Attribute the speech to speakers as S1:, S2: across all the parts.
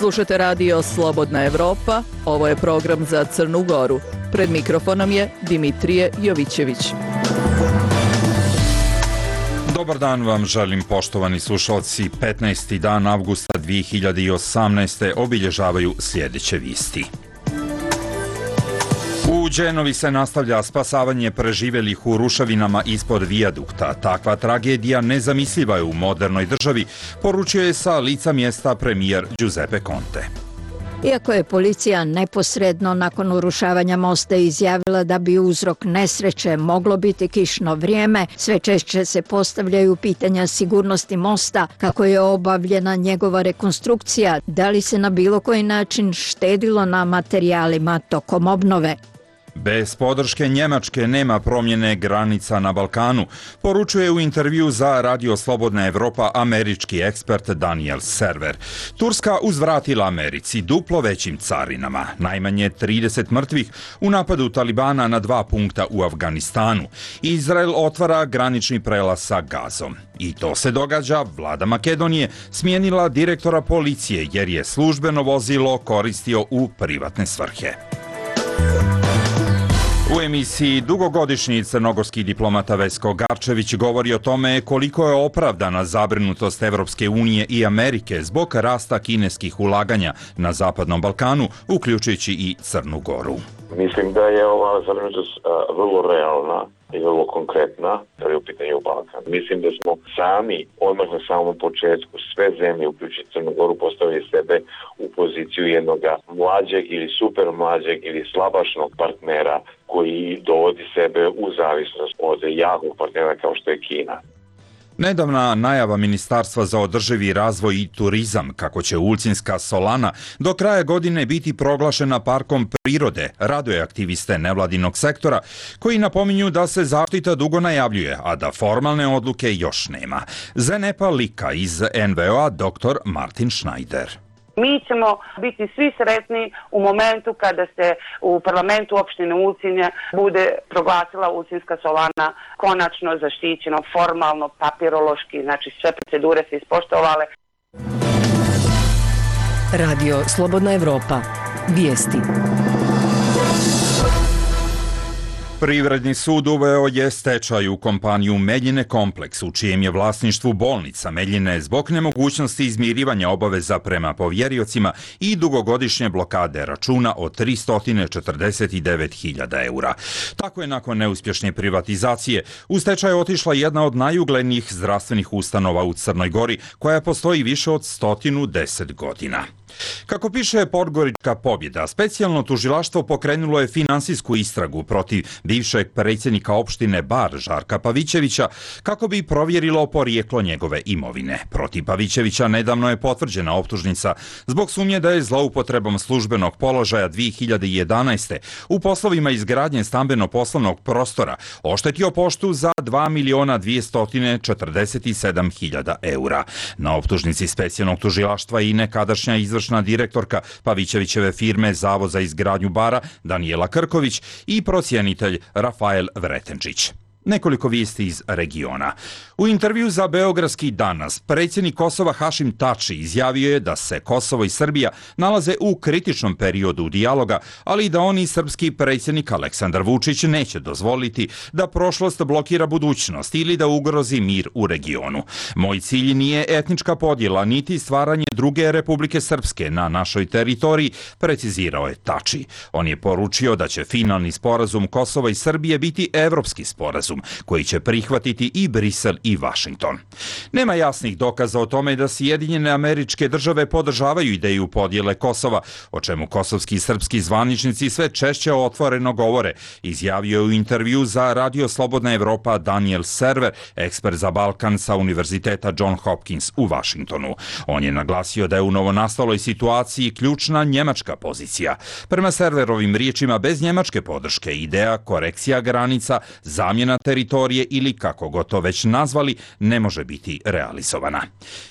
S1: Slušate radio Slobodna Evropa, ovo je program za Crnu Goru. Pred mikrofonom je Dimitrije Jovićević.
S2: Dobar dan vam želim, poštovani slušalci. 15. dan avgusta 2018. obilježavaju sljedeće vijesti. U Đenovi se nastavlja spasavanje preživjelih u ruševinama ispod vijadukta. Takva tragedija nezamisliva je u modernoj državi, poručio je sa lica mjesta premijer Giuseppe Conte.
S3: Iako je policija neposredno nakon urušavanja mosta izjavila da bi uzrok nesreće moglo biti kišno vrijeme, sve češće se postavljaju pitanja sigurnosti mosta, kako je obavljena njegova rekonstrukcija, da li se na bilo koji način štedilo na materijalima tokom obnove.
S2: Bez podrške Njemačke nema promjene granica na Balkanu, poručuje u intervju za Radio Slobodna Evropa američki ekspert Daniel Server. Turska uzvratila Americi duplo većim carinama, najmanje 30 mrtvih u napadu Talibana na 2 punkta u Afganistanu. Izrael otvara granični prelaz sa Gazom. I to se događa, vlada Makedonije smijenila direktora policije jer je službeno vozilo koristio u privatne svrhe. U emisiji dugogodišnji crnogorski diplomata Vesko Garčević govori o tome koliko je opravdana zabrinutost Evropske unije i Amerike zbog rasta kineskih ulaganja na Zapadnom Balkanu, uključujući i Crnu Goru.
S4: Mislim da je ova zabrinutost vrlo realna i vrlo konkretna, jer je u pitanju Balkan. Mislim da smo sami, odmah na samom početku, sve zemlje, uključujući Crnu Goru, postavili sebe u poziciju jednog mlađeg ili super mlađeg ili slabašnog partnera koji dovodi sebe u zavisnost od jakog partnera kao što je Kina.
S2: Nedavna najava Ministarstva za održivi razvoj i turizam kako će Ulcinska solana do kraja godine biti proglašena parkom prirode raduje aktiviste nevladinog sektora koji napominju da se zaštita dugo najavljuje, a da formalne odluke još nema. Zenepa lika iz NVO-a dr. Martin Schneider.
S5: Mi ćemo biti svi sretni u momentu kada se u parlamentu opštine Ulcinje bude proglasila Ulcinska solana konačno zaštićeno, formalno, papirološki, znači sve procedure se ispoštovale.
S6: Radio Slobodna Evropa. Vijesti.
S2: Privredni sud uveo je stečaj u kompaniju Meljine Kompleks, u čijem je vlasništvu bolnica Meljine zbog nemogućnosti izmirivanja obaveza prema povjeriocima i dugogodišnje blokade računa od 349.000 eura. Tako je nakon neuspješne privatizacije u stečaj otišla jedna od najuglednijih zdravstvenih ustanova u Crnoj Gori, koja postoji više od 110 godina. Kako piše Podgorička pobjeda, specijalno tužilaštvo pokrenulo je finansijsku istragu protiv bivšeg predsjednika opštine Bar Žarka Pavićevića kako bi provjerilo porijeklo njegove imovine. Protiv Pavićevića nedavno je potvrđena optužnica zbog sumnje da je zloupotrebom službenog položaja 2011. u poslovima izgradnje stambeno-poslovnog prostora oštetio poštu za 2.247.000 eura. Na optužnici specijalnog tužilaštva i nekadašnja izvršna direktorka Pavićevićeve firme Zavod za izgradnju Bara Danijela Krković i procjenitelj Rafael Vretenčić. Nekoliko vijesti iz regiona. U intervju za Beogradski danas predsjednik Kosova Hašim Tači izjavio je da se Kosovo i Srbija nalaze u kritičnom periodu dijaloga, ali i da on i srpski predsjednik Aleksandar Vučić neće dozvoliti da prošlost blokira budućnost ili da ugrozi mir u regionu. Moj cilj nije etnička podjela niti stvaranje druge Republike Srpske na našoj teritoriji, precizirao je Tači. On je poručio da će finalni sporazum Kosova i Srbije biti evropski sporazum koji će prihvatiti i Brisel i Vašington. Nema jasnih dokaza o tome da Sjedinjene Američke Države podržavaju ideju podjele Kosova, o čemu kosovski i srpski zvaničnici sve češće otvoreno govore, izjavio je u intervju za Radio Slobodna Evropa Daniel Server, ekspert za Balkan sa Univerziteta John Hopkins u Vašingtonu. On je naglasio da je u novonastaloj situaciji ključna njemačka pozicija. Prema Serverovim riječima, bez njemačke podrške ideja korekcija granica, zamjena teritorije ili kako god to već nazvali, ne može biti realizovana.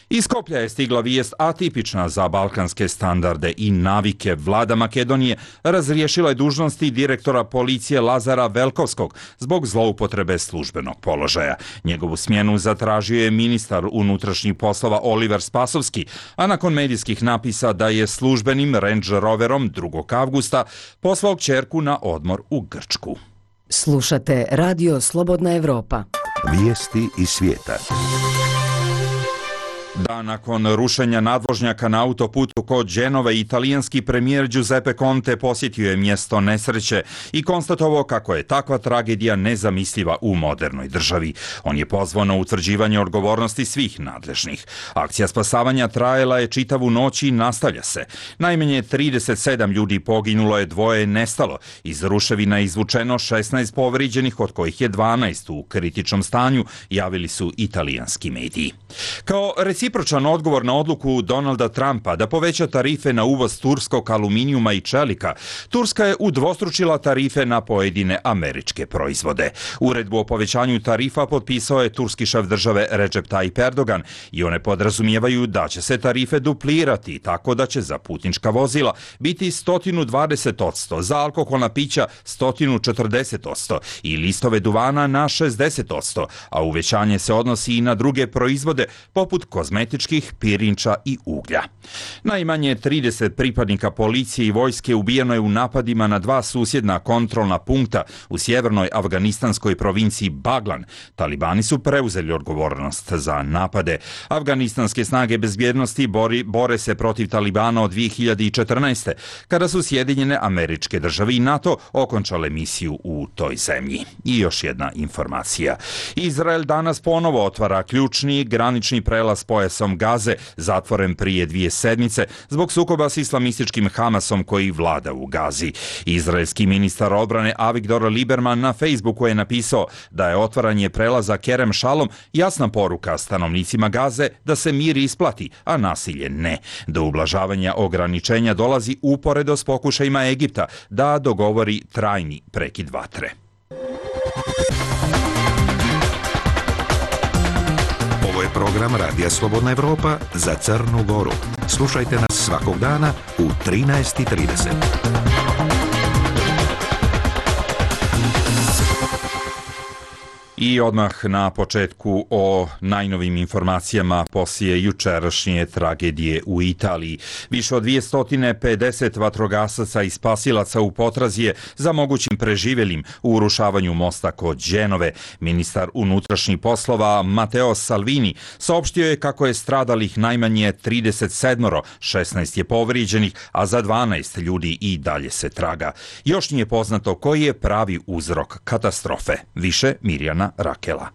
S2: Iz Skoplja je stigla vijest atipična za balkanske standarde i navike. Vlada Makedonije razriješila je dužnosti direktora policije Lazara Velkovskog zbog zloupotrebe službenog položaja. Njegovu smjenu zatražio je ministar unutrašnjih poslova Oliver Spasovski, a nakon medijskih napisa da je službenim Range Roverom 2. avgusta poslao kćerku na odmor u Grčku.
S6: Slušate Radio Slobodna Evropa.
S7: Vijesti iz svijeta.
S2: Dan nakon rušenja nadvožnjaka na autoputu kod Genove, italijanski premijer Giuseppe Conte posjetio je mjesto nesreće i konstatovao kako je takva tragedija nezamisliva u modernoj državi. On je pozvao na utvrđivanje odgovornosti svih nadležnih. Akcija spasavanja trajala je čitavu noć i nastavlja se. Najmanje 37 ljudi poginulo je, 2 je nestalo. Iz ruševina je izvučeno 16 povrijeđenih, od kojih je 12 u kritičnom stanju, javili su italijanski mediji. Kao recipročan odgovor na odluku Donalda Trumpa da poveća tarife na uvoz turskog aluminijuma i čelika, Turska je udvostručila tarife na pojedine američke proizvode. Uredbu o povećanju tarifa potpisao je turski šef države Recep Tayyip Erdogan i one podrazumijevaju da će se tarife duplirati, tako da će za putnička vozila biti 120%, za alkoholna pića 140% i listove duvana na 60%, a uvećanje se odnosi i na druge proizvode poput kozmetičkih, pirinča i uglja. Najmanje 30 pripadnika policije i vojske ubijeno je u napadima na 2 susjedna kontrolna punkta u sjevernoj afganistanskoj provinciji Baglan. Talibani su preuzeli odgovornost za napade. Afganistanske snage bezbjednosti bore se protiv Talibana od 2014. kada su Sjedinjene Američke Države i NATO okončale misiju u toj zemlji. I još jedna informacija. Izrael danas ponovo otvara ključni granični prelaz pojasom Gaze, zatvoren prije 2 sedmice zbog sukoba s islamističkim Hamasom koji vlada u Gazi. Izraelski ministar odbrane Avigdor Lieberman na Facebooku je napisao da je otvaranje prelaza Kerem Shalom jasna poruka stanovnicima Gaze da se mir isplati, a nasilje ne. Do ublažavanja ograničenja dolazi uporedo s pokušajima Egipta da dogovori trajni prekid vatre.
S7: Ovo je program Radija Slobodna Evropa za Crnu Goru. Slušajte nas svakog dana u 13:30.
S2: I odmah na početku o najnovim informacijama poslije jučerašnje tragedije u Italiji. Više od 250 vatrogasaca i spasilaca u potrazi je za mogućim preživjelim u urušavanju mosta kod Genove. Ministar unutrašnjih poslova Matteo Salvini saopštio je kako je stradalih najmanje 37, 16 je povrijeđenih, a za 12 ljudi i dalje se traga. Još nije poznato koji je pravi uzrok katastrofe. Više Mirjana Rakela.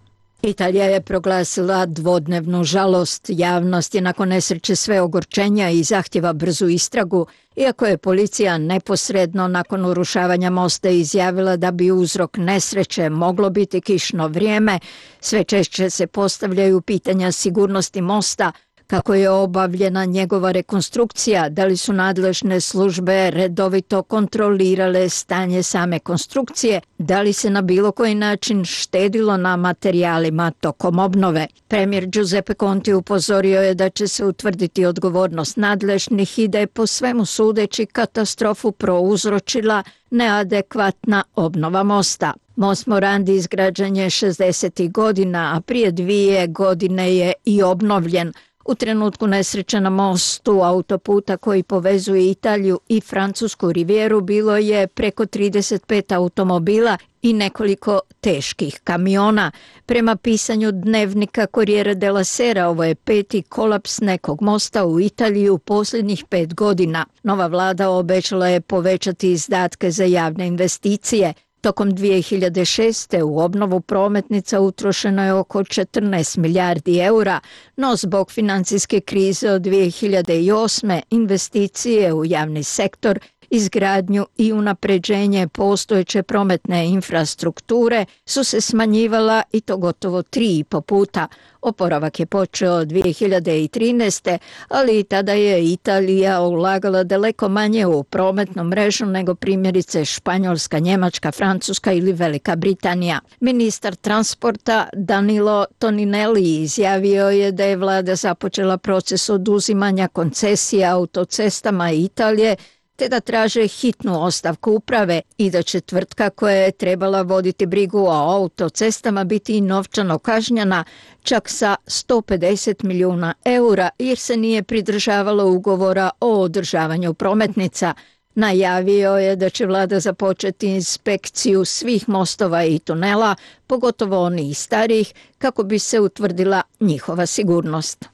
S3: Italija je proglasila dvodnevnu žalost. Javnost je nakon nesreće sve ogorčenja i zahtjeva brzu istragu, iako je policija neposredno nakon urušavanja mosta izjavila da bi uzrok nesreće moglo biti kišno vrijeme. Sve češće se postavljaju pitanja sigurnosti mosta, kako je obavljena njegova rekonstrukcija, da li su nadležne službe redovito kontrolirale stanje same konstrukcije, da li se na bilo koji način štedilo na materijalima tokom obnove. Premijer Giuseppe Conte upozorio je da će se utvrditi odgovornost nadležnih i da je po svemu sudeći katastrofu prouzročila neadekvatna obnova mosta. Most Morandi izgrađen je 60. godina, a prije 2 godine je i obnovljen. U trenutku nesreće na mostu autoputa koji povezuje Italiju i Francusku rivijeru bilo je preko 35 automobila i nekoliko teških kamiona. Prema pisanju dnevnika Corriere della Sera, ovo je 5. kolaps nekog mosta u Italiji u posljednjih 5 godina. Nova vlada obećala je povećati izdatke za javne investicije. Tokom 2006. u obnovu prometnica utrošeno je oko 14 milijardi eura, no zbog financijske krize od 2008. investicije u javni sektor izgradnju i unapređenje postojeće prometne infrastrukture su se smanjivala i to gotovo 3,5 puta. Oporavak je počeo 2013. ali i tada je Italija ulagala daleko manje u prometnu mrežu nego primjerice Španjolska, Njemačka, Francuska ili Velika Britanija. Ministar transporta Danilo Toninelli izjavio je da je vlada započela proces oduzimanja koncesija autocestama Italije te da traže hitnu ostavku uprave i da će tvrtka koja je trebala voditi brigu o autocestama biti i novčano kažnjena čak sa 150 milijuna eura jer se nije pridržavalo ugovora o održavanju prometnica. Najavio je da će vlada započeti inspekciju svih mostova i tunela, pogotovo onih starijih, kako bi se utvrdila njihova sigurnost.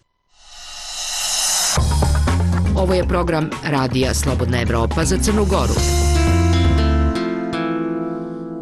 S6: Ovo je program Radija Slobodna Evropa za Crnu Goru.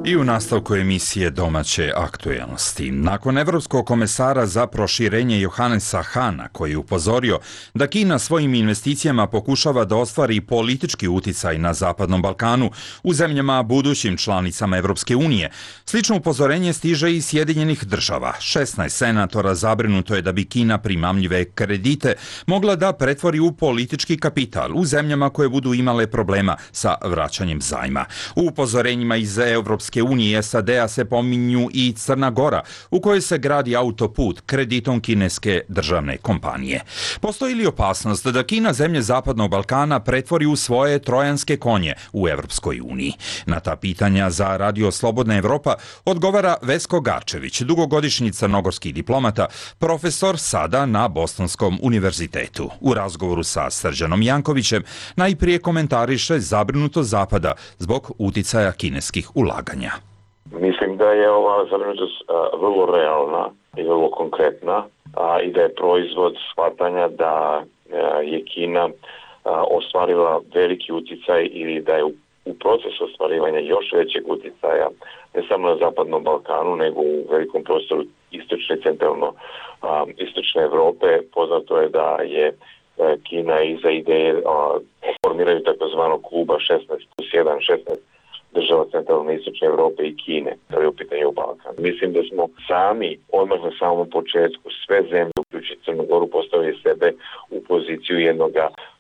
S2: I u nastavku emisije domaće aktuelnosti. Nakon evropskog komesara za proširenje Johannesa Hahna, koji je upozorio da Kina svojim investicijama pokušava da ostvari politički uticaj na Zapadnom Balkanu u zemljama budućim članicama Evropske unije, slično upozorenje stiže iz Sjedinjenih država. 16 senatora zabrinuto je da bi Kina primamljive kredite mogla da pretvori u politički kapital u zemljama koje budu imale problema sa vraćanjem zajma. U upozorenjima iz Evropske unije i SAD-a se pominju i Crna Gora, u kojoj se gradi autoput kreditom kineske državne kompanije. Postoji li opasnost da Kina zemlje Zapadnog Balkana pretvori u svoje trojanske konje u Evropskoj uniji? Na ta pitanja za Radio Slobodna Evropa odgovara Vesko Garčević, dugogodišnji crnogorski diplomata, profesor sada na Bostonskom univerzitetu. U razgovoru sa Srđanom Jankovićem najprije komentariše zabrinutost Zapada zbog uticaja kineskih ulaganja.
S4: Mislim da je ova zabrinutost vrlo realna i vrlo konkretna i da je proizvod shvatanja da je Kina ostvarila veliki uticaj ili da je u procesu ostvarivanja još većeg uticaja ne samo na Zapadnom Balkanu nego u velikom prostoru istočne i centralno istočne Evrope. Poznato je da je Kina iza ideje formiraju takozvanog kluba 16+1, 16 država centralne istočne Evrope i Kine, to je u pitanju Balkan. Mislim da smo sami, odmah na samom početku, sve zemlje, uključujući Crnu Goru, postavili sebe u poziciju jednog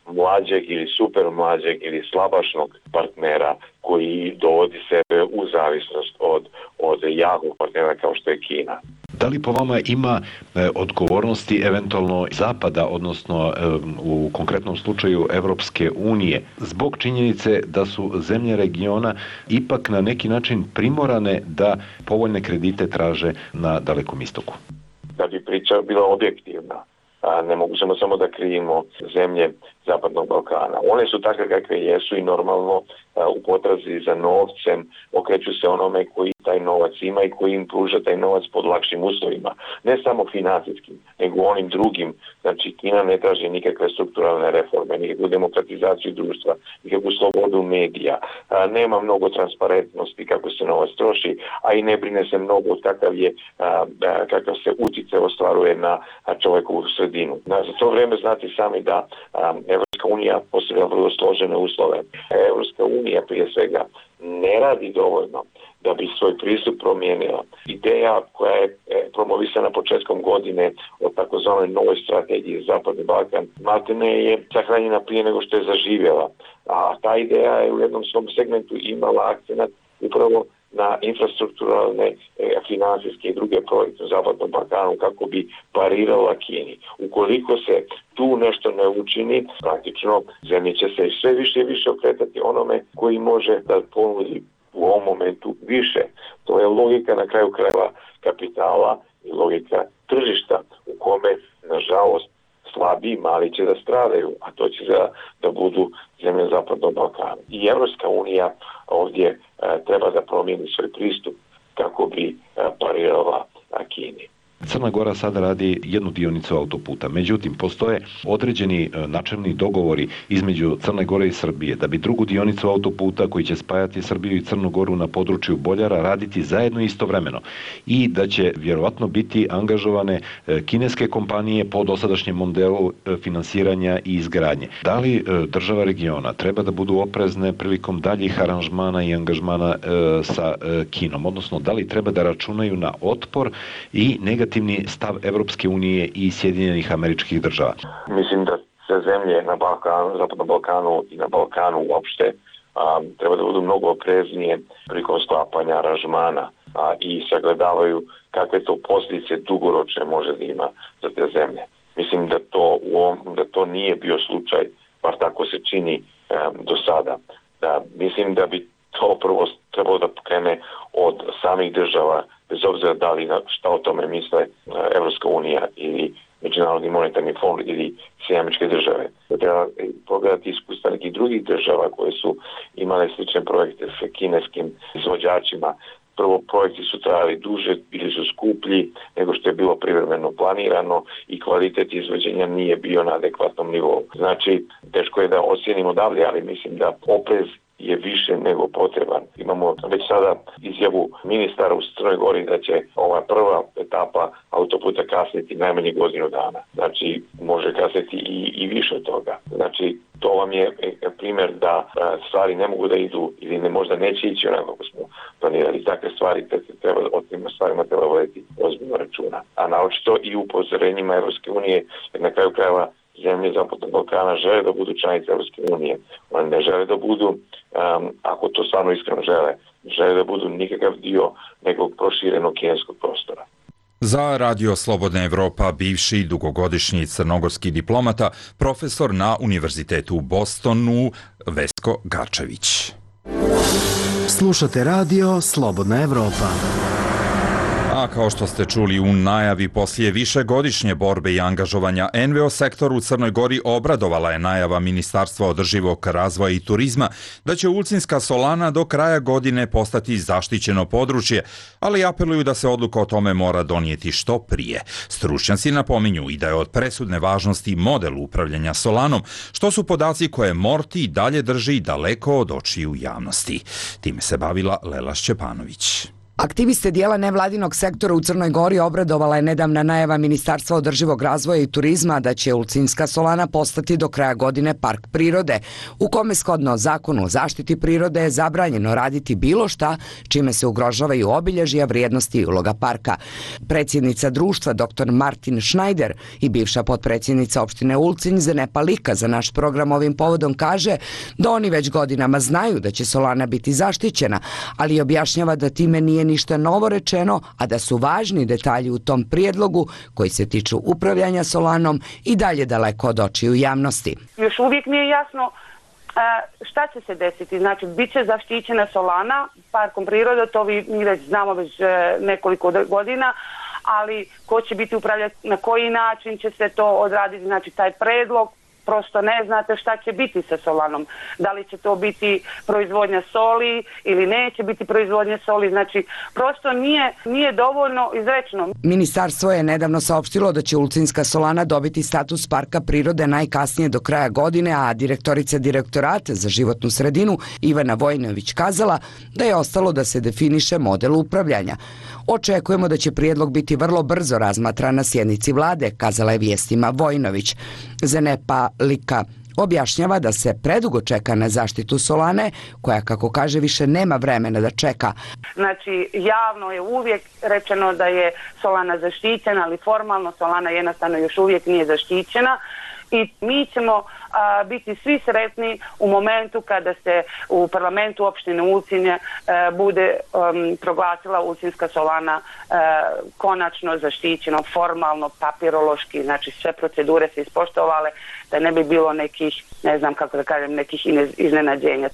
S4: mlađeg ili super mlađeg ili slabašnog partnera koji dovodi sebe u zavisnost od jakog partnera kao što je Kina.
S8: Da li po vama ima odgovornosti eventualno Zapada, odnosno u konkretnom slučaju Evropske unije, zbog činjenice da su zemlje regiona ipak na neki način primorane da povoljne kredite traže na Dalekom istoku?
S4: Da bi priča bila objektivna, ne možemo samo da krivimo zemlje Zapadnog Balkana. One su takve kakve jesu i normalno u potrazi za novcem okreću se onome koji taj novac ima i koji im pruža taj novac pod lakšim uslovima. Ne samo financijskim, nego onim drugim. Znači, Kina ne traži nikakve strukturalne reforme, nikakvu demokratizaciju društva, nikakvu slobodu medija. Nema mnogo transparentnosti kako se novac troši, a i ne brine se mnogo kakav se utjecaj ostvaruje na čovjekovu sredinu. Za to vrijeme znate sami da Evropska unija postavlja vrlo složene uslove. Evropska unija prije svega ne radi dovoljno da bi svoj pristup promijenila. Ideja koja je promovisana početkom godine od takozvanoj novoj strategiji Zapadni Balkan maltene je sahranjena prije nego što je zaživjela. A ta ideja je u jednom svom segmentu imala akcenat upravo na infrastrukturalne, financijske i druge projekte u Zapadnom Balkanu kako bi parirala Kini. Ukoliko se tu nešto ne učini, praktično zemlje će se sve više i više okretati onome koji može da ponudi u ovom momentu više. To je logika na kraju krajeva kapitala i logika tržišta u kome, nažalost, slabiji mali će da stradaju, a to će da budu zemlje Zapadnog Balkana. I Evropska unija ovdje treba da promijeni svoj pristup kako bi parirala Kini.
S8: Crna Gora sada radi jednu dionicu autoputa. Međutim, postoje određeni načelni dogovori između Crne Gore i Srbije da bi drugu dionicu autoputa koji će spajati Srbiju i Crnu Goru na području Boljara raditi zajedno istovremeno i da će vjerovatno biti angažovane kineske kompanije po dosadašnjem modelu finansiranja i izgradnje. Da li država regiona treba da budu oprezne prilikom daljih aranžmana i angažmana sa Kinom, odnosno da li treba da računaju na otpor i negativni stav Evropske unije i Sjedinjenih Američkih Država?
S4: Mislim da sve zemlje na Balkanu, Zapadnom Balkanu i na Balkanu uopšte treba da budu mnogo opreznije prilikom sklapanja aranžmana i sagledavaju kakve to posljedice dugoročne može da ima za te zemlje. Mislim da to nije bio slučaj, bar tako se čini do sada. Mislim da bi to prvo trebalo da krene od samih država, bez obzira da li šta o tome misle Evropska unija ili Međunarodni monetarni fond ili Sjedinjene Američke Države. Treba pogledati iskustva nekih drugih država koje su imale slične projekte sa kineskim izvođačima. Prvo, projekti su trajali duže, bili su skuplji nego što je bilo privremeno planirano i kvalitet izvođenja nije bio na adekvatnom nivou. Znači, teško je da ocijenimo odavde, ali mislim da oprez je više nego potreban. Imamo već sada izjavu ministara u Crnoj Gori da će ova prva etapa autoputa kasniti najmanje godinu dana. Znači, može kasniti i više od toga. Znači, to vam je primjer da stvari ne mogu da idu ili možda neće ići onako kako smo planirali. Takve stvari o tim stvarima treba voditi ozbiljno računa. A naočito i upozorenjima Evropske unije, jer na kraju krajeva zemlje Zapadnog Balkana žele da budu članice Evropske unije. One ne žele da budu, ako to stvarno iskreno žele da budu nikakav dio nekog proširenog kineskog prostora.
S2: Za Radio Slobodna Evropa bivši dugogodišnji crnogorski diplomata, profesor na Univerzitetu u Bostonu, Vesko Garčević.
S9: Slušate Radio Slobodna Evropa.
S2: A kao što ste čuli u najavi, poslije višegodišnje borbe i angažovanja NVO sektor u Crnoj Gori obradovala je najava Ministarstva održivog razvoja i turizma da će Ulcinska solana do kraja godine postati zaštićeno područje, ali apeluju da se odluka o tome mora donijeti što prije. Stručnjaci napominju i da je od presudne važnosti model upravljanja solanom, što su podaci koje Morti dalje drži daleko od očiju javnosti. Time se bavila Lela Šćepanović.
S10: Aktiviste dijela nevladinog sektora u Crnoj Gori obradovala je nedavna najava Ministarstva održivog razvoja i turizma da će Ulcinska solana postati do kraja godine park prirode, u kome shodno zakonu o zaštiti prirode je zabranjeno raditi bilo šta čime se ugrožavaju obilježja, vrijednosti i uloga parka. Predsjednica društva dr. Martin Schneider i bivša potpredsjednica opštine Ulcinj Zenepa Lika za naš program ovim povodom kaže da oni već godinama znaju da će solana biti zaštićena, ali objašnjava da time nije ništa novo rečeno, a da su važni detalji u tom prijedlogu koji se tiču upravljanja solanom i dalje daleko od očiju javnosti.
S5: Još uvijek nije jasno šta će se desiti. Znači, bit će zaštićena solana parkom prirode, to mi već znamo već nekoliko godina, ali ko će biti upravljati, na koji način će se to odraditi, znači taj predlog, prosto ne znate šta će biti sa solanom. Da li će to biti proizvodnja soli ili neće biti proizvodnja soli. Znači, prosto nije dovoljno izrečeno.
S10: Ministarstvo je nedavno saopštilo da će Ulcinska solana dobiti status parka prirode najkasnije do kraja godine, a direktorica direktorata za životnu sredinu Ivana Vojnović kazala da je ostalo da se definiše model upravljanja. Očekujemo da će prijedlog biti vrlo brzo razmatran na sjednici vlade, kazala je vijestima Vojnović. Zenepa Lika objašnjava da se predugo čeka na zaštitu solane, koja, kako kaže, više nema vremena da čeka.
S5: Znači, javno je uvijek rečeno da je solana zaštićena, ali formalno solana jednostavno još uvijek nije zaštićena. I mi ćemo biti svi sretni u momentu kada se u parlamentu opštine Ulcinje bude proglasila Ulcinska solana konačno zaštićeno, formalno, papirološki, znači sve procedure se ispoštovale, da ne bi bilo nekih, ne znam kako da kažem, nekih iznenađenja.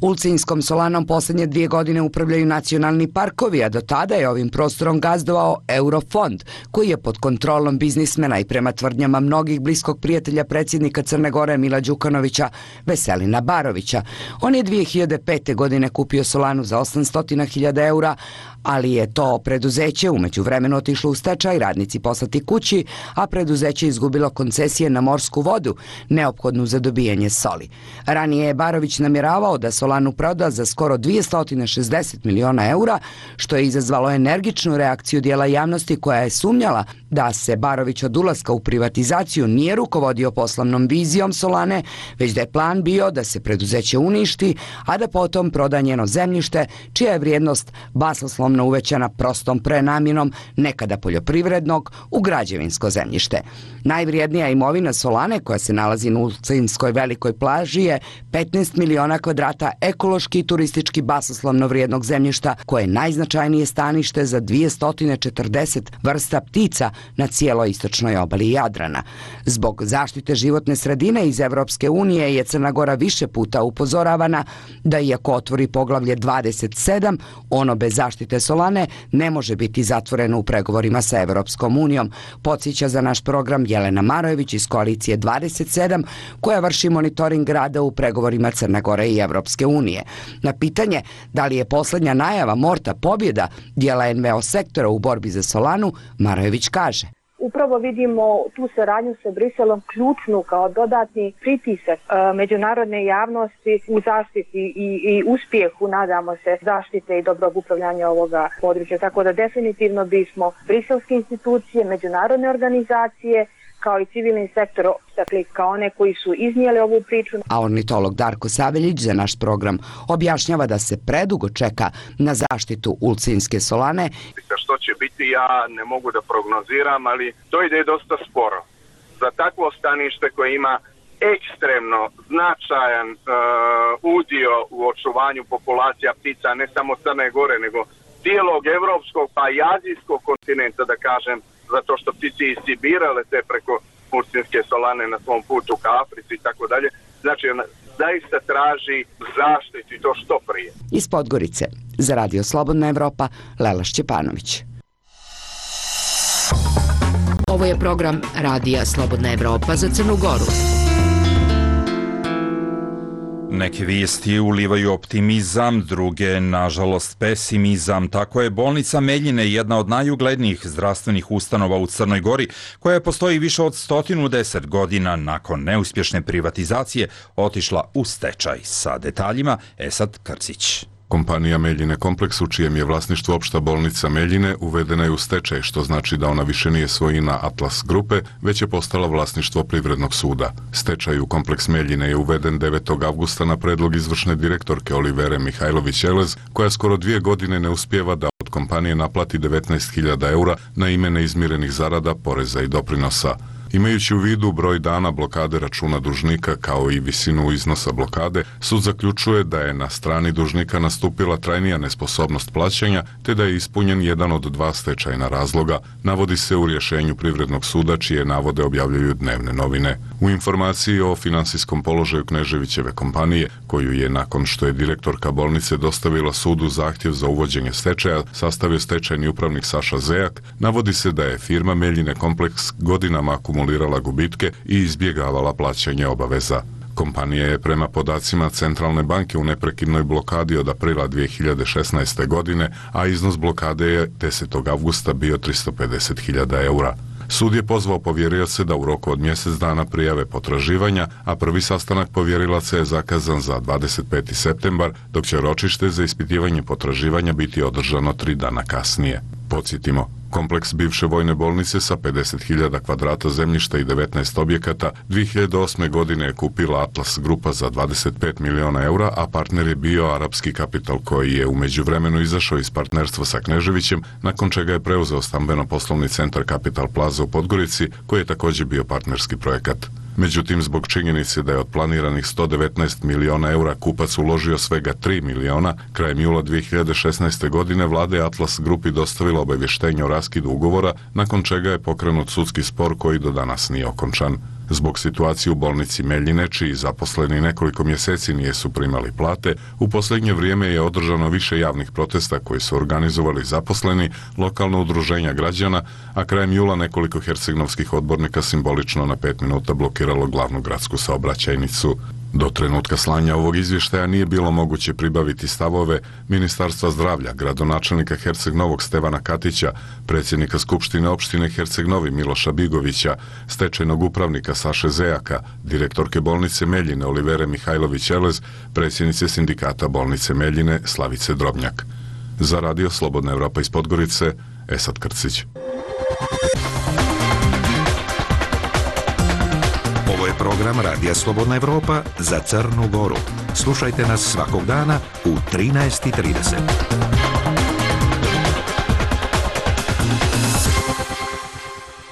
S10: Ulcinjskom solanom posljednje 2 godine upravljaju nacionalni parkovi, a do tada je ovim prostorom gazdovao Eurofond, koji je pod kontrolom biznismena i prema tvrdnjama mnogih bliskog prijatelja predsjednika Crne Gore Mila Đukanovića, Veselina Barovića. On je 2005. godine kupio solanu za 800.000 eura, ali je to preduzeće umeđu vremenu otišlo u stečaj, radnici poslati kući, a preduzeće izgubilo koncesije na morsku vodu, neophodnu za dobijanje soli. Ranije je Barović namjeravao da Solanu proda za skoro 260 miliona eura, što je izazvalo energičnu reakciju dijela javnosti koja je sumnjala da se Barović od ulaska u privatizaciju nije rukovodio poslovnom vizijom Solane, već da je plan bio da se preduzeće uništi, a da potom proda njeno zemljište, čija je vrijednost basnoslovno uvećana prostom prenamjenom nekada poljoprivrednog u građevinsko zemljište. Najvrijednija imovina Solane, koja se nalazi na Ulcinskoj velikoj plaži, je 15 miliona kvadrata ekološki i turistički basnoslovno vrijednog zemljišta, koje je najznačajnije stanište za 240 vrsta ptica na cijeloj istočnoj obali Jadrana. Zbog zaštite životne sredine iz Evropske unije je Crna Gora više puta upozoravana da iako otvori poglavlje 27, ono bez zaštite Solane ne može biti zatvoreno u pregovorima sa Evropskom unijom, podsjeća za naš program Jelena Marojević iz koalicije 27, koja vrši monitoring rada u pregovorima Crne Gore i Evropske unije. Na pitanje da li je posljednja najava Morta pobjeda dijela NVO sektora u borbi za Solanu, Marojević kaže:
S11: Upravo vidimo tu saradnju sa Briselom ključnu kao dodatni pritisak međunarodne javnosti u zaštiti i uspjehu, nadamo se, zaštite i dobrog upravljanja ovoga područja. Tako da definitivno bismo briselske institucije, međunarodne organizacije, kao i civilni sektor, dakle kao one koji su iznijeli ovu priču.
S10: A ornitolog Darko Saveljić za naš program objašnjava da se predugo čeka na zaštitu Ulcinske Solane.
S12: Što će biti, ja ne mogu da prognoziram, ali to ide dosta sporo. Za takvo stanište koje ima ekstremno značajan udio u očuvanju populacija ptica, ne samo Crne Gore, nego cijelog evropskog pa i azijskog kontinenta, da kažem, zato što ptice iz Sibira lete preko Ulcinske Solane na svom putu ka Africi i tako dalje. Znači, zaista traži zaštitu i to što prije.
S10: Iz Podgorice, za Radio Slobodna Evropa, Lela Šćepanović.
S6: Ovo je program Radija Slobodna Evropa za Crnu Goru.
S2: Neke vijesti ulivaju optimizam, druge, nažalost, pesimizam. Tako je bolnica Meljine jedna od najuglednijih zdravstvenih ustanova u Crnoj Gori, koja postoji više od 110 godina nakon neuspješne privatizacije, otišla u stečaj. Sa detaljima Esad Krcić.
S13: Kompanija Meljine kompleks, u čijem je vlasništvu opšta bolnica Meljine, uvedena je u stečaj, što znači da ona više nije svojina Atlas grupe, već je postala vlasništvo Privrednog suda. Stečaj u kompleks Meljine je uveden 9. avgusta na predlog izvršne direktorke Olivere Mihajlović-Elez, koja skoro 2 godine ne uspijeva da od kompanije naplati 19.000 eura na ime neizmirenih zarada, poreza i doprinosa. Imajući u vidu broj dana blokade računa dužnika kao i visinu iznosa blokade, sud zaključuje da je na strani dužnika nastupila trajnija nesposobnost plaćanja te da je ispunjen jedan od 2 stečajna razloga, navodi se u rješenju Privrednog suda, čije navode objavljuju dnevne novine. U informaciji o finansijskom položaju Kneževićeve kompanije, koju je nakon što je direktorka bolnice dostavila sudu zahtjev za uvođenje stečaja, sastavio stečajni upravnik Saša Zejak, navodi se da je firma Meljine kompleks godinama akumulirala gubitke i izbjegavala plaćanje obaveza. Kompanija je prema podacima Centralne banke u neprekidnoj blokadi od aprila 2016. godine, a iznos blokade je 10. avgusta bio 350.000 eura. Sud je pozvao povjerioce da u roku od mjesec dana prijave potraživanja, a prvi sastanak povjerilaca je zakazan za 25. septembar, dok će ročište za ispitivanje potraživanja biti održano 3 dana kasnije. Podsjetimo, kompleks bivše vojne bolnice sa 50.000 kvadrata zemljišta i 19 objekata 2008. godine je kupila Atlas grupa za 25 miliona eura, a partner je bio Arapski kapital, koji je u međuvremenu izašao iz partnerstva sa Kneževićem, nakon čega je preuzeo stambeno-poslovni centar Capital Plaza u Podgorici, koji je također bio partnerski projekat. Međutim, zbog činjenice da je od planiranih 119 miliona eura kupac uložio svega 3 miliona, krajem jula 2016. godine vlada je Atlas grupi dostavila obavještenje o raskidu ugovora, nakon čega je pokrenut sudski spor koji do danas nije okončan. Zbog situacije u bolnici Meljine, čiji zaposleni nekoliko mjeseci nisu primali plate, u posljednje vrijeme je održano više javnih protesta koji su organizovali zaposleni, lokalna udruženja građana, a krajem jula nekoliko hercegnovskih odbornika simbolično na 5 minuta blokiralo glavnu gradsku saobraćajnicu. Do trenutka slanja ovog izvještaja nije bilo moguće pribaviti stavove Ministarstva zdravlja, gradonačelnika Herceg Novog Stevana Katića, predsjednika Skupštine opštine Herceg Novi Miloša Bigovića, stečajnog upravnika Saše Zejaka, direktorke bolnice Meljine Olivere Mihajlović-Elez, predsjednice sindikata bolnice Meljine Slavice Drobnjak. Za Radio Slobodna Evropa iz Podgorice, Esad Krcić.
S7: Ovo je program Radija Slobodna Evropa za Crnu Goru. Slušajte nas svakog dana u 13:30.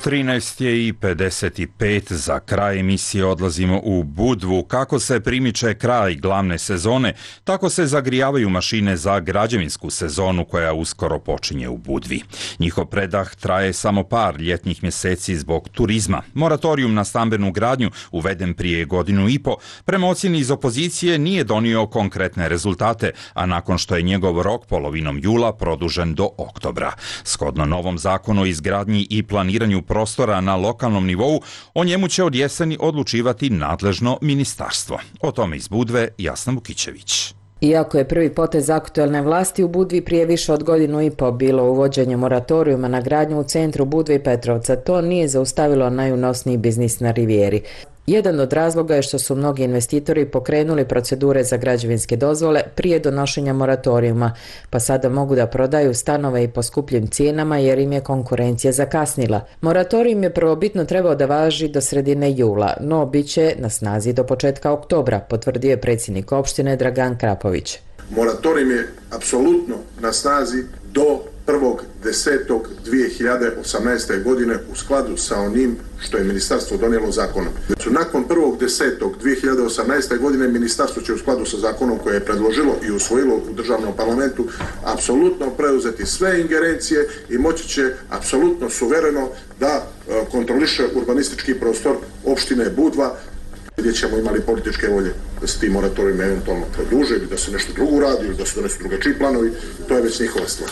S2: 13:55 za kraj emisije odlazimo u Budvu. Kako se primiče kraj glavne sezone, tako se zagrijavaju mašine za građevinsku sezonu koja uskoro počinje u Budvi. Njihov predah traje samo par ljetnih mjeseci zbog turizma. Moratorijum na stambenu gradnju, uveden prije 1,5 godine, prema ocjeni iz opozicije nije donio konkretne rezultate, a nakon što je njegov rok polovinom jula produžen do oktobra. Shodno novom zakonu o izgradnji i planiranju prostora na lokalnom nivou, o njemu će od jeseni odlučivati nadležno ministarstvo. O tome iz Budve Jasna Vukićević.
S14: Iako je prvi potez aktuelne vlasti u Budvi prije više od 1,5 godine bilo uvođenje moratorijuma na gradnju u centru Budve i Petrovca, to nije zaustavilo najunosniji biznis na Rivijeri. Jedan od razloga je što su mnogi investitori pokrenuli procedure za građevinske dozvole prije donošenja moratorijuma, pa sada mogu da prodaju stanove i po skupljim cijenama jer im je konkurencija zakasnila. Moratorijum je prvobitno trebao da važi do sredine jula, no bit će na snazi do početka oktobra, potvrdio je predsjednik opštine Dragan Krapović.
S15: Moratorijum je apsolutno na snazi do 1.10.2018. godine u skladu sa onim što je ministarstvo donijelo zakonom. Nakon 1.10.2018. godine ministarstvo će u skladu sa zakonom koje je predložilo i usvojilo u državnom parlamentu apsolutno preuzeti sve ingerencije i moći će apsolutno suvereno da kontroliše urbanistički prostor opštine Budva, gdje ćemo imali političke volje da se ti moratorijumi eventualno produže ili da se nešto drugo radi ili da se donesu drugačiji planovi, to je već njihova stvar.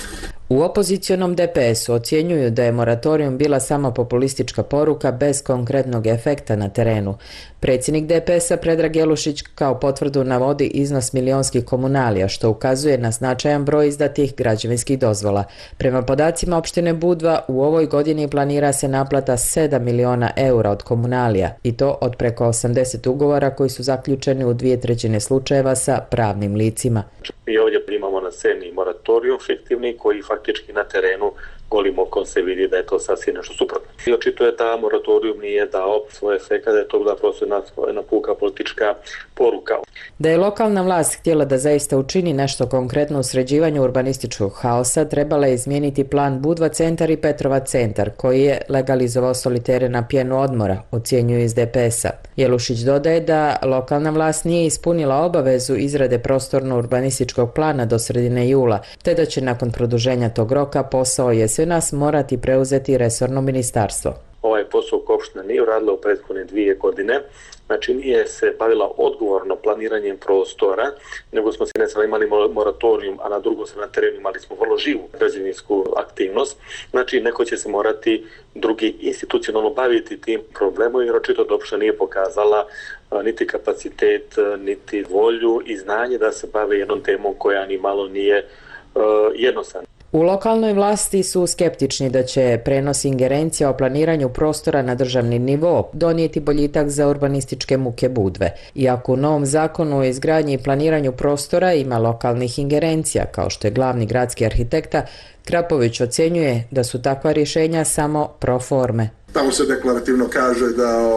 S14: U opozicionom DPS-u ocjenjuju da je moratorijum bila samo populistička poruka bez konkretnog efekta na terenu. Predsjednik DPS-a Predrag Jelušić kao potvrdu navodi iznos milionskih komunalija, što ukazuje na značajan broj izdatih građevinskih dozvola. Prema podacima opštine Budva, u ovoj godini planira se naplata 7 miliona eura od komunalija, i to od preko 80 ugovora koji su zaključeni u 2/3 slučajeva sa pravnim licima.
S16: Mi ovdje imamo na sceni moratorijum fiktivni koji faktički na terenu golim okom se vidi da je to sasvim nešto suprotno. I očito je da moratorijum nije dao svoj efekt, da je to bila prosto jedna puka politička poruka.
S14: Da je lokalna vlast htjela da zaista učini nešto konkretno u sređivanju urbanističkog haosa, trebala je izmijeniti plan Budva centar i Petrova centar, koji je legalizovao solitere na pjenu odmora, ocjenjuju iz DPS-a. Jelušić dodaje da lokalna vlast nije ispunila obavezu izrade prostorno-urbanističkog plana do sredine jula, te da će nakon produženja tog roka posao jesenas morati preuzeti resorno ministarstvo.
S16: Ovaj posao opština nije uradila u prethodne 2 godine, znači nije se bavila odgovorno planiranjem prostora, nego smo se ne samo imali moratorijum, a na drugo se na terenu imali smo vrlo živu građevinsku aktivnost. Znači neko će se morati drugi institucionalno baviti tim problemom, jer očito da opština nije pokazala niti kapacitet, niti volju i znanje da se bave jednom temom koja ni malo nije jednostavna.
S14: U lokalnoj vlasti su skeptični da će prenos ingerencija o planiranju prostora na državni nivo donijeti boljitak za urbanističke muke Budve. Iako u novom zakonu o izgradnji i planiranju prostora ima lokalnih ingerencija, kao što je glavni gradski arhitekta, Krapović ocjenjuje da su takva rješenja samo pro forme.
S15: Tamo se deklarativno kaže da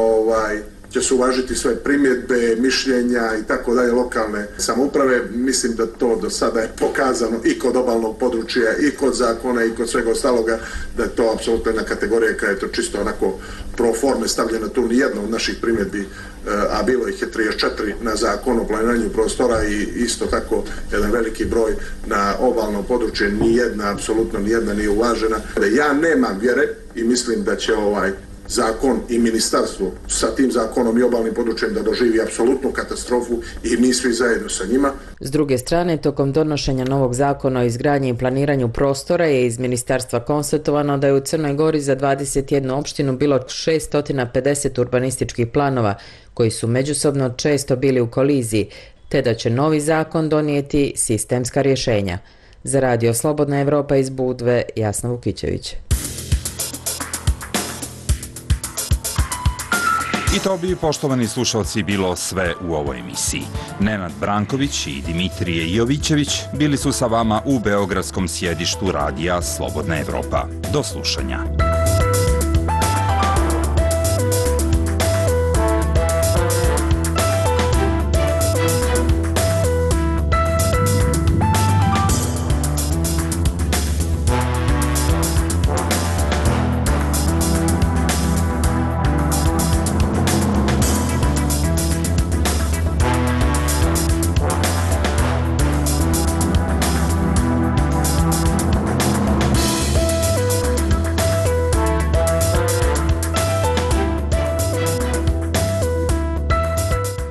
S15: će se uvažiti sve primjedbe, mišljenja i tako dalje lokalne samouprave. Mislim da to do sada je pokazano i kod obalnog područja i kod zakona i kod svega ostaloga, da je to apsolutno jedna kategorija koja je to čisto onako pro forme stavljena. Tu nijedna od naših primjedbi, a bilo ih je 34 na zakon o planiranju prostora i isto tako jedan veliki broj na obalno područje, nijedna, apsolutno nijedna nije uvažena. Ja nemam vjere i mislim da će zakon i ministarstvo sa tim zakonom i obalnim područjem da doživi apsolutnu katastrofu i mi svi zajedno sa njima.
S14: S druge strane, tokom donošenja novog zakona o izgradnji i planiranju prostora je iz ministarstva konstatovano da je u Crnoj Gori za 21 opštinu bilo 650 urbanističkih planova koji su međusobno često bili u koliziji, te da će novi zakon donijeti sistemska rješenja. Za Radio Slobodna Evropa iz Budve, Jasna Vukićević.
S2: I to bi, poštovani slušalci, bilo sve u ovoj emisiji. Nenad Branković i Dimitrije Jovićević bili su sa vama u beogradskom sjedištu Radija Slobodna Evropa. Do slušanja.